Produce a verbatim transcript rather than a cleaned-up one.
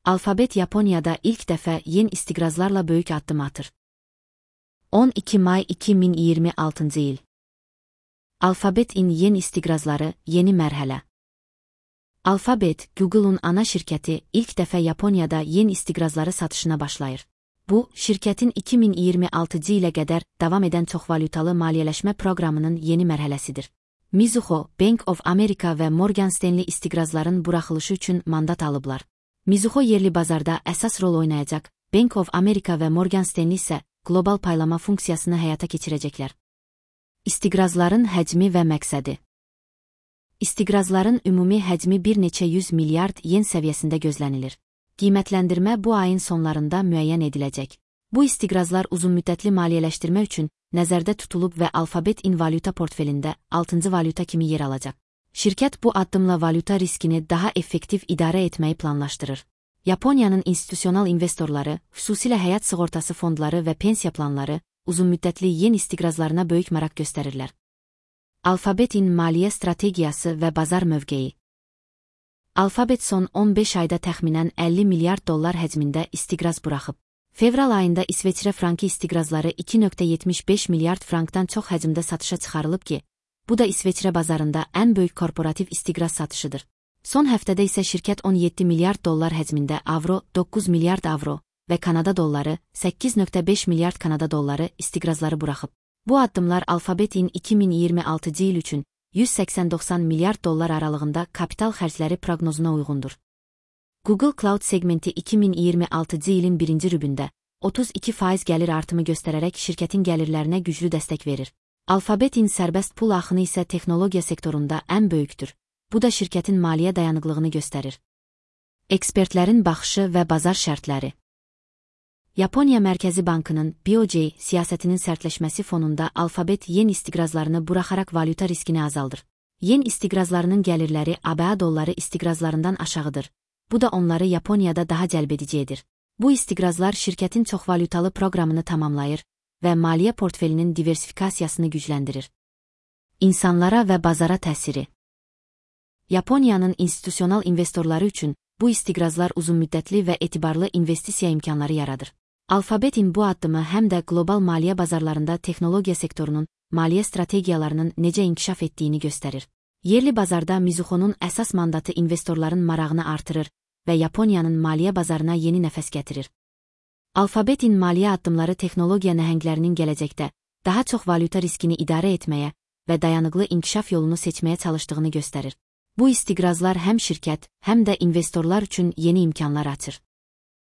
Alphabet Yaponiyada ilk dəfə yeni istiqrazlarla böyük addım atır. on iki may iki min iyirmi altıncı il. Alphabet-in yeni istiqrazları, yeni mərhələ. Alphabet, Google'un ana şirkəti ilk dəfə Yaponiyada yeni istiqrazları satışına başlayır. Bu, şirkətin iki min iyirmi altıncı ilə qədər davam edən çoxvalyutalı maliyyələşmə proqramının yeni mərhələsidir. Mizuho, Bank of America və Morgan Stanley istiqrazların buraxılışı üçün mandat alıblar. Mizuho yerli bazarda əsas rol oynayacaq, Bank of America və Morgan Stanley isə qlobal paylama funksiyasını həyata keçirəcəklər. İstiqrazların həcmi və məqsədi. İstiqrazların ümumi həcmi bir neçə yüz milyard yen səviyyəsində gözlənilir. Qiymətləndirmə bu ayın sonlarında müəyyən ediləcək. Bu istiqrazlar uzunmüddətli maliyyələşdirmə üçün nəzərdə tutulub və Alphabet-in valyuta portfelində altıncı valyuta kimi yer alacaq. Şirkət bu addımla valyuta riskini daha effektiv idarə etməyi planlaşdırır. Yaponiyanın institusional investorları, xüsusilə həyat sığortası fondları və pensiya planları, uzunmüddətli yen istiqrazlarına böyük maraq göstərirlər. Alphabet-in maliyyə strategiyası və bazar mövqeyi. Alphabet son on beş ayda təxminən əlli milyard dollar həcmində istiqraz buraxıb. Fevral ayında İsveçrə frankı istiqrazları iki nöqtə yetmiş beş milyard frankdan çox həcmdə satışa çıxarılıb ki, bu da İsveçrə bazarında ən böyük korporativ istiqraz satışıdır. Son həftədə isə şirkət on yeddi milyard dollar həcmində avro, doqquz milyard avro və Kanada dolları, səkkiz nöqtə beş milyard Kanada dolları istiqrazları buraxıb. Bu addımlar Alphabet-in iki min iyirmi altıncı il üçün yüz səksən doxsan milyard dollar aralığında kapital xərcləri proqnozuna uyğundur. Google Cloud segmenti iki min iyirmi altıncı ilin birinci rübündə otuz iki faiz gəlir artımı göstərərək şirkətin gəlirlərinə güclü dəstək verir. Alphabet-in sərbəst pul axını isə texnologiya sektorunda ən böyükdür. Bu da şirkətin maliyyə dayanıqlığını göstərir. Ekspertlərin baxışı və bazar şərtləri. Yaponiya Mərkəzi Bankının B O J siyasətinin sərtləşməsi fonunda Alphabet yen istiqrazlarını buraxaraq valyuta riskini azaldır. Yen istiqrazlarının gəlirləri A B A dolları istiqrazlarından aşağıdır. Bu da onları Yaponiyada daha cəlbedici edir. Bu istiqrazlar şirkətin çoxvalyutalı proqramını tamamlayır və maliyyə portfelinin diversifikasiyasını gücləndirir. İnsanlara və bazara təsiri. Yaponiyanın institusional investorları üçün bu istiqrazlar uzunmüddətli və etibarlı investisiya imkanları yaradır. Alphabet-in bu addımı həm də qlobal maliyyə bazarlarında texnologiya sektorunun maliyyə strategiyalarının necə inkişaf etdiyini göstərir. Yerli bazarda Mizuho'nun əsas mandatı investorların marağını artırır və Yaponiyanın maliyyə bazarına yeni nəfəs gətirir. Alphabet-in maliyyə addımları texnologiya nəhənglərinin gələcəkdə daha çox valyuta riskini idarə etməyə və dayanıqlı inkişaf yolunu seçməyə çalışdığını göstərir. Bu istiqrazlar həm şirkət, həm də investorlar üçün yeni imkanlar açır.